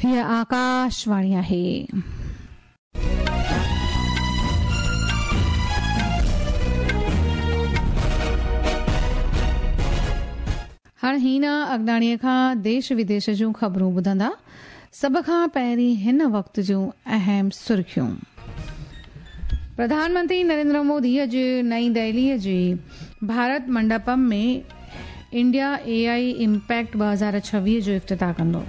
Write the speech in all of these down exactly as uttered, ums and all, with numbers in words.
हीअ आकाशवाणी आहे। हाणे हीना अगनाणीअ खां देश विदेश जूं ख़बरूं ॿुधंदा। सभ खां पहिरीं हिन वक़्त जूं अहम सुर्खियूं। प्रधानमंत्री नरेंद्र मोदी अॼु नई दिल्लीअ जे भारत मंडपम में इंडिया एआई इम्पैक्ट ॿ हज़ार छवीह जो इफ़्तिताह कंदो।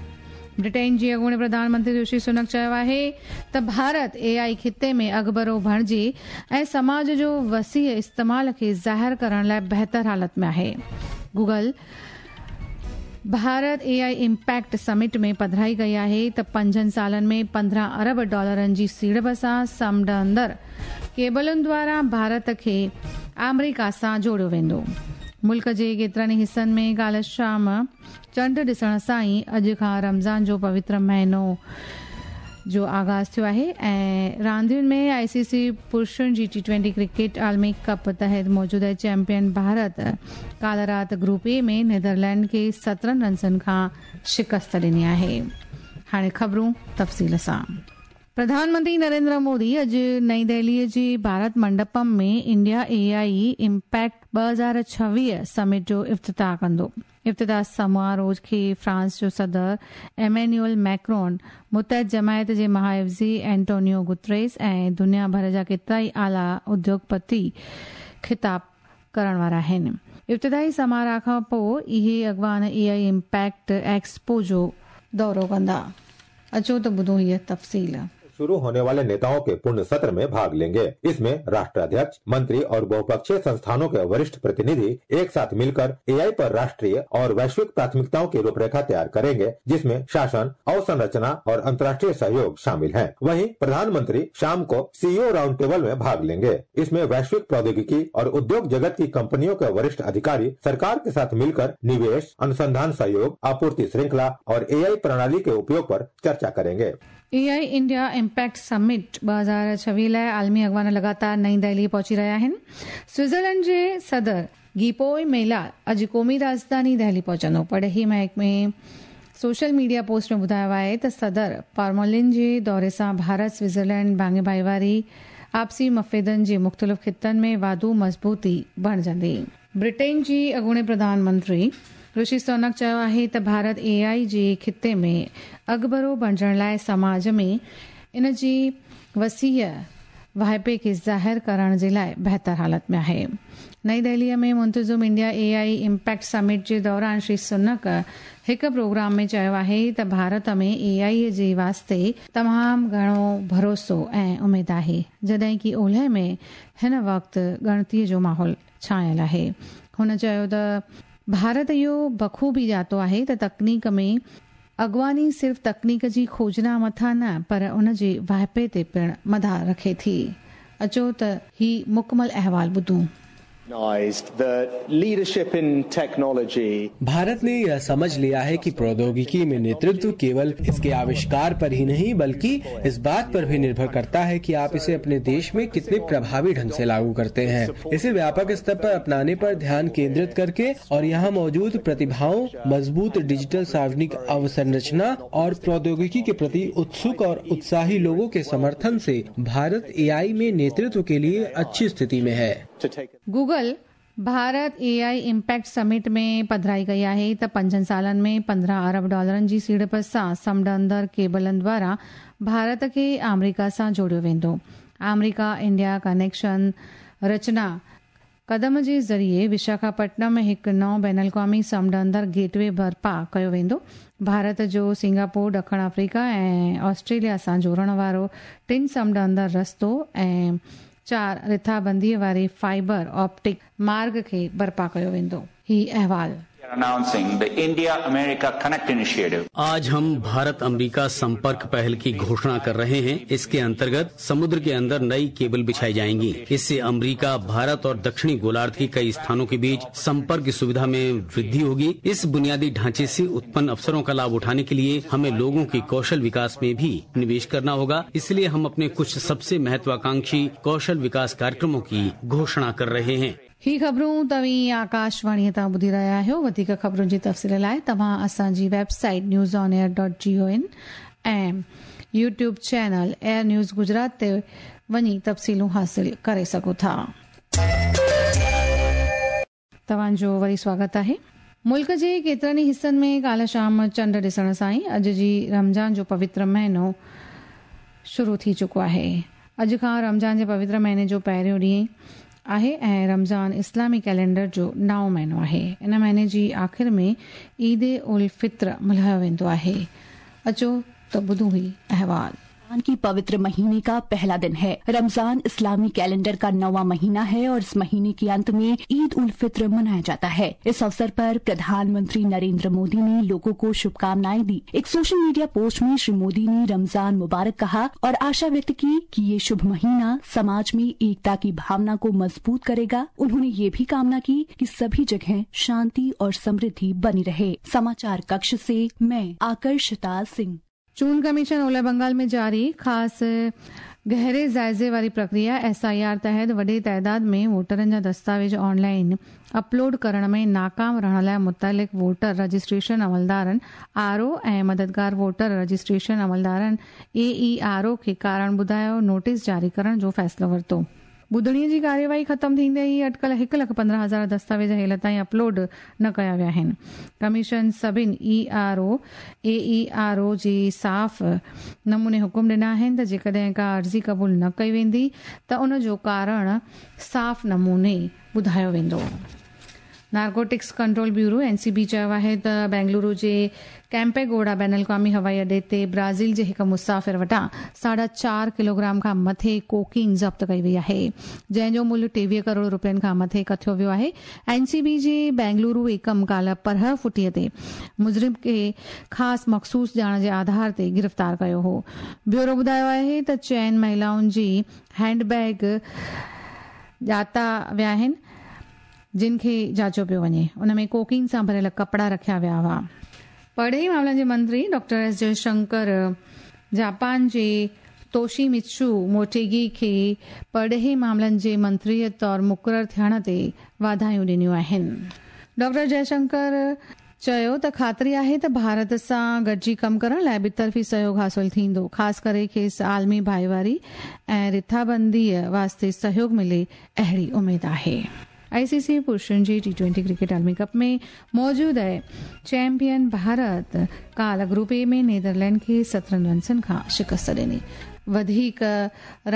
ब्रिटेन जे अॻूणे प्रधानमंत्री ऋषि सुनक चयो आहे त भारत एआई ख़िते में अॻुभरो बणिजी ऐं समाज जो वसी इस्तेमाल खे ज़ाहिर करण लाइ बहितर हालत में आहे। Google Bharat AI impact summit में पधराई कई आहे त पंजनि सालनि में पंद्रहं अरब डॉलरनि जी सीड़प सां समुंड अंदरि केबलुनि द्वारा भारत खे आमेरिका सां जोड़ियो वेंदो। मुल्क जे केतिरनि हिसनि में काल्ह शाम चंड ॾिसण सां ई अॼु खां रमज़ान जो पवित्र महीनो जो आगाज़ थियो आहे ऐं रांदियुनि में आईसीसी पुरुषनि जी टी ट्वेंटी क्रिकेट आलमी कप तहत मौजूदा चैंपियन भारत काल्ह राति ग्रुप ए में नीदरलैंड खे सत्रहं रन्सनि खां शिकस्त ॾिनी आहे। हाणे ख़बरूं तफ़सील सां। प्रधानमंत्री नरेंद्र मोदी अॼु नई दिल्लीअ जे भारत मंडपम में इंडिया एआई इम्पैक्ट ॿ हज़ार छवीह समिट जो इफ़्तिताह कंदो। इफ़्तिताह समारोह खे फ्रांस जो सदर एमेन्युअल मैक्रोन, मुतहद जमायत जे महाइफ़्ज़ी एंटोनियो गुतरेस ऐं दुनिया भर जा केतिरा ई आला उद्योगपति ख़िताब करण वारा आहिनि। इब्तिदाई समारोह खां पोइ इहे अॻवान एआई इम्पैक्ट एक्सपो जो दौरो कंदा। अचो त ॿुधूं हीअ तफ़सील। शुरू होने वाले नेताओं के पूर्ण सत्र में भाग लेंगे। इसमें राष्ट्राध्यक्ष, मंत्री और बहुपक्षीय संस्थानों के वरिष्ठ प्रतिनिधि एक साथ मिलकर एआई पर राष्ट्रीय और वैश्विक प्राथमिकताओं की रूपरेखा तैयार करेंगे, जिसमें शासन, अवसंरचना और अंतर्राष्ट्रीय सहयोग शामिल है। वहीं प्रधानमंत्री शाम को सीईओ राउंड टेबल में भाग लेंगे। इसमें वैश्विक प्रौद्योगिकी और उद्योग जगत की कंपनियों के वरिष्ठ अधिकारी सरकार के साथ मिलकर निवेश, अनुसंधान सहयोग, आपूर्ति श्रृंखला और एआई प्रणाली के उपयोग पर चर्चा करेंगे। एआई इंडिया इम्पैक्ट समिट ॿ हज़ार छवीह लाइ आलमी अॻवान लगातार नई दिल्ली पहुची रहिया आहिनि। स्विट्ज़रलैंड जे सदर गीपोई मेला अॼु क़ौमी राजधानी दिल्ली पहुचंदो। पढ़ेही महकमे सोशल मीडिया पोस्ट में ॿुधायो आहे त सदर पार्मोलिन जे दौरे सां भारत स्विट्ज़रलैंड भाङे भाईवारी आपसी मफ़ादनि जे मुख़्तलिफ़ ख़ितनि में वाधू मज़बूती बणिजंदी। ब्रिटेन जी अॻूणे प्रधानमंत्री ऋषि सुनक चयो आहे त भारत एआई जे ख़िते में अॻुभरो बणिजण लाइ समाज में इन जी वसीअ वाहिपे खे ज़ाहिर करण जे लाइ बहितर हालत में आहे। नई दिल्लीअ में मुंतज़िम इंडिया एआई इम्पैक्ट समिट जे दौरान श्री सुनक हिकु प्रोग्राम में चयो आहे त भारत में एआई जे वास्ते तमामु घणो भरोसो ऐं उमेद आहे, जॾहिं की ओलह में हिन वक़्तु ॻणतीअ जो माहौल छायल आहे। हुन चयो त भारत इहो बख़ूबी ॼातो आहे त तकनीक में अॻवानी सिर्फ़ तकनीक जी खोजना मथां न पर उन जे वाहिपे ते पिणु मदार रखे थी। अचो त ही मुकमल अहवाल ॿुधूं। भारत ने यह समझ लिया है कि प्रौद्योगिकी में नेतृत्व केवल इसके आविष्कार पर ही नहीं बल्कि इस बात पर भी निर्भर करता है कि आप इसे अपने देश में कितने प्रभावी ढंग से लागू करते हैं। इसे व्यापक स्तर पर अपनाने पर ध्यान केंद्रित करके और यहाँ मौजूद प्रतिभाओं, मजबूत डिजिटल सार्वजनिक अवसंरचना और प्रौद्योगिकी के प्रति उत्सुक और उत्साही लोगों के समर्थन से भारत एआई में नेतृत्व के लिए अच्छी स्थिति में है। Google Bharat AI impact summit में पधराई कई आहे त पंजनि सालनि में पंद्रहं अरब डॉलरनि जी सीड़प सां समुंड अंदरि केबलनि द्वारा भारत खे आमेरिका सां जोड़ियो वेंदो। आमेरिका इंडिया कनेक्शन रचना कदम जे ज़रिए विशाखापट्टनम में हिकु नओं बैन अल-क़वामी समुंड अंदरि गेटवे बर्पा कयो वेंदो। भारत जो सिंगापुर, ॾखिण अफ्रीका ऐं ऑस्ट्रेलिया सां जोड़ण वारो टिनि समुंड अंदरि रस्तो ऐं चार रिथाबंदीअ वारे फाइबर ऑप्टिक मार्ग खे बर्पा कयो वेंदो। ही अहवाल। Announcing the India America Connect Initiative. Aaj Hum Bharat America संपर्क पहल की घोषणा कर रहे हैं। इसके अंतर्गत समुद्र के अंदर नई केबल बिछाई जाएंगी। इससे अमेरिका, भारत और दक्षिणी गोलार्ध के कई स्थानों के बीच संपर्क की सुविधा में वृद्धि होगी। इस बुनियादी ढांचे से उत्पन्न अवसरों का लाभ उठाने के लिए हमें लोगों के कौशल विकास में भी निवेश करना होगा। इसलिए हम अपने कुछ सबसे महत्वाकांक्षी कौशल विकास कार्यक्रमों की घोषणा कर रहे हैं। ही ख़बरूं तव्हीं आकाशवाणीअ तां ॿुधी रहिया आहियो। वधीक ख़बरुनि जी तफ़सील लाइ तव्हां असांजी website news on air dot G O in ऐं YouTube channel Air News Gujarat ते वञी तफ़सीलूं हासिल करे सघो था। तव्हांजो वरी स्वागत आहे। मुल्क जे केतिरनि हिसनि में काल्ह शाम चंड ॾिसण सां ई अॼु जी रमज़ान जो पवित्र महीनो शुरू थी चुको आहे। अॼु खां रमज़ान जे पवित्र महीने जो पहिरियों ॾींहुं आहे ऐं रमज़ान इस्लामी कैलेंडर जो नओं महीनो आहे। इन महीने जी आख़िर में ईद उल फित्र मल्हायो वेंदो आहे। अचो त ॿुधूं ही अहवाल। रमजान की पवित्र महीने का पहला दिन है। रमजान इस्लामी कैलेंडर का नौवां महीना है और इस महीने के अंत में ईद उल फित्र मनाया जाता है। इस अवसर पर प्रधानमंत्री नरेंद्र मोदी ने लोगों को शुभकामनाएं दी। एक सोशल मीडिया पोस्ट में श्री मोदी ने रमजान मुबारक कहा और आशा व्यक्त की कि ये शुभ महीना समाज में एकता की भावना को मजबूत करेगा। उन्होंने ये भी कामना की कि सभी जगह शांति और समृद्धि बनी रहे। समाचार कक्ष से मैं आकर्षिता सिंह। चूंड कमीशन ओलह बंगाल में जारी ख़ासि गहरे जाइज़े वारी प्रक्रिया एस I R तहत वॾे तादाद में वोटरनि जा दस्तावेज़ ऑनलाइन अपलोड करण में नाकाम रहण लाइ मुतलिक़ वोटर रजिस्ट्रेशन अमलदारनि आर ओ ऐं मददगार वोटर रजिस्ट्रेशन अमलदारनि ए ई आर ओ खे कारण ॿुधायो नोटिस जारी करण जो फ़ैसिलो वरितो। ॿुधणीअ जी कार्यवाही ख़तमु थींदे ई अटकल हिकु लख पंद्रहं हज़ार दस्तावेज़ हेल ताईं अपलोड न कया विया आहिनि। कमीशन सभिनी E R O A E R O जे साफ़ नमूने हुकुम ॾिना आहिनि त जेकॾहिं का अर्ज़ी क़बूल न कई वेंदी त उन जो कारण साफ़ नमूने ॿुधायो वेंदो। Narcotics control bureau N C B चयो आहे त बेंगलुरु जे कैम्पेगोड़ा बैनुल अक़वामी हवाई अॾे ते ब्राज़ील जे हिकु मुसाफ़िर वटां साढा चारि किलोग्राम खां मथे कोकीन ज़ब्त कई वई आहे, जंहिंजो मुल्ह टेवीह करोड़ रुपयनि खां मथे कथियो वियो आहे। एन सी बी जे बेंगलुरु एकम काल्ह परह फुटीअ ते मुजरिम खे ख़ासि मख़सूस ॼाण जे आधार ते गिरफ़्तार कयो हो। ब्यूरो ॿुधायो आहे त चइनि महिलाउनि जी हैंडबैग ॼाता विया आहिनि, जिन खे जांचो पियो वञे। उन में कोकीन सां भरियल कपिड़ा रखिया विया हुआ। परॾेही मामलनि जे मंत्री डॉक्टर एस जयशंकर जापान जे तोशीमित्सु मोटेगी खे परॾेही मामलनि जे मंत्रीअ तौर मुक़ररु थियण ते वाधायूं ॾिनियूं आहिनि। डॉक्टर जयशंकर चयो त ख़ातिरी आहे त भारत सां गॾिजी कमु करण लाइ ॿितरफ़ी सहयोग हासिल थींदो, ख़ासि करे खेसि आलमी भाईवारी ऐं रिथाबंदीअ वास्ते सहयोग मिले अहिड़ी उमेद आहे। आई सी सी पुरुषनि जे टी ट्वेंटी क्रिकेट आलमी कप में मौजूदा चैंपियन भारत काल्ह ग्रुप ए में नीदरलैंड खे सत्रहं रन्सनि खां शिकस्त ॾिनी। वधीक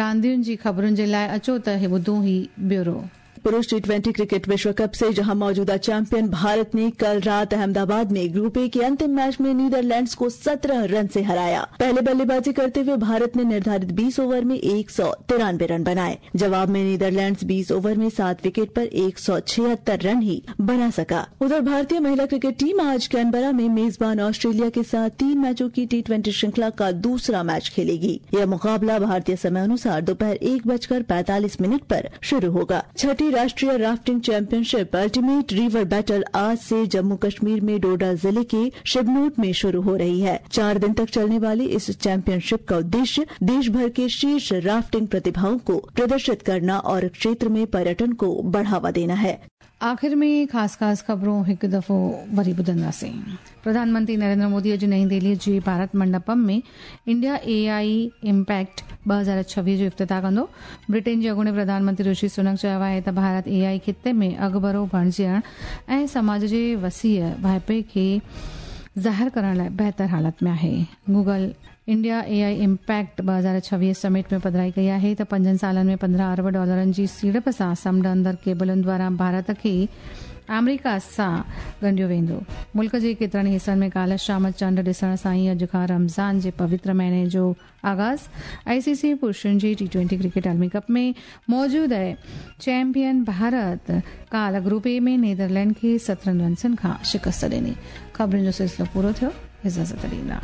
रांदियुनि जी ख़बरुनि जे लाइ अचो त हे ॿुधूं ही ब्यूरो। पुरुष टी ट्वेंटी क्रिकेट विश्व कप से जहां मौजूदा चैंपियन भारत ने कल रात अहमदाबाद में ग्रुप ए के अंतिम मैच में नीदरलैंड्स को सत्रह रन से हराया। पहले बल्लेबाजी करते हुए भारत ने निर्धारित बीस ओवर में एक सौ तिरानवे रन बनाए। जवाब में नीदरलैंड्स बीस ओवर में सात विकेट पर एक सौ छिहत्तर रन ही बना सका। उधर भारतीय महिला क्रिकेट टीम आज कैनबरा में मेजबान ऑस्ट्रेलिया के साथ तीन मैचों की टी ट्वेंटी श्रृंखला का दूसरा मैच खेलेगी। यह मुकाबला भारतीय समय अनुसार दोपहर एक बजकर पैंतालीस मिनट पर शुरू होगा। छठी राष्ट्रीय rafting championship ultimate river battle आज से जम्मू कश्मीर में डोडा जिले के शिवनोट में शुरू हो रही है। चार दिन तक चलने वाली इस चैंपियनशिप का उद्देश्य देश भर के शीर्ष राफ्टिंग प्रतिभाओं को प्रदर्शित करना और क्षेत्र में पर्यटन को बढ़ावा देना है। आख़िर में ख़ासि ख़ासि ख़बरूं हिकु दफ़ो वरी ॿुधंदासीं। प्रधानमंत्री नरेंद्र मोदी अॼु नई दिल्लीअ जे भारत मंडपम में इंडिया ए I impact ॿ हज़ार छवीह जो इफ़्तिताह कंदो। ब्रिटेन जे अॻूणे प्रधानमंत्री ऋषि सुनक चयो आहे त भारत ए आई ख़िते में अॻुभरो बणिजण ऐं समाज जे वसीअ वाहिपे खे ज़ाहिर करण लाइ बहितर हालत में आहे। Google India A I impact ॿ हज़ार छवीह समिट में पधराई कई आहे त पंजनि सालनि में पंद्रहं अरब डॉलरनि जी सीड़प सां समुंड अंदरि केबलुनि द्वारा भारत खे आमेरिका सां ॻंढियो वेंदो। मुल्क जे केतिरनि हिसनि में काल्ह शाम चंड ॾिसण सां ई अॼु खां रमज़ान जे पवित्र महीने जो आग़ाज़। आई सी सी पुरुषनि जे टी ट्वेंटी क्रिकेट आलमी कप में मौजूदा चैंपियन भारत काल्ह ग्रुप ए में नीदरलैंड खे सत्रहं रन्सनि खां शिकस्त ॾिनी। ख़बरुनि जो सिलसिलो पूरो थियो। इजाज़त ॾींदा।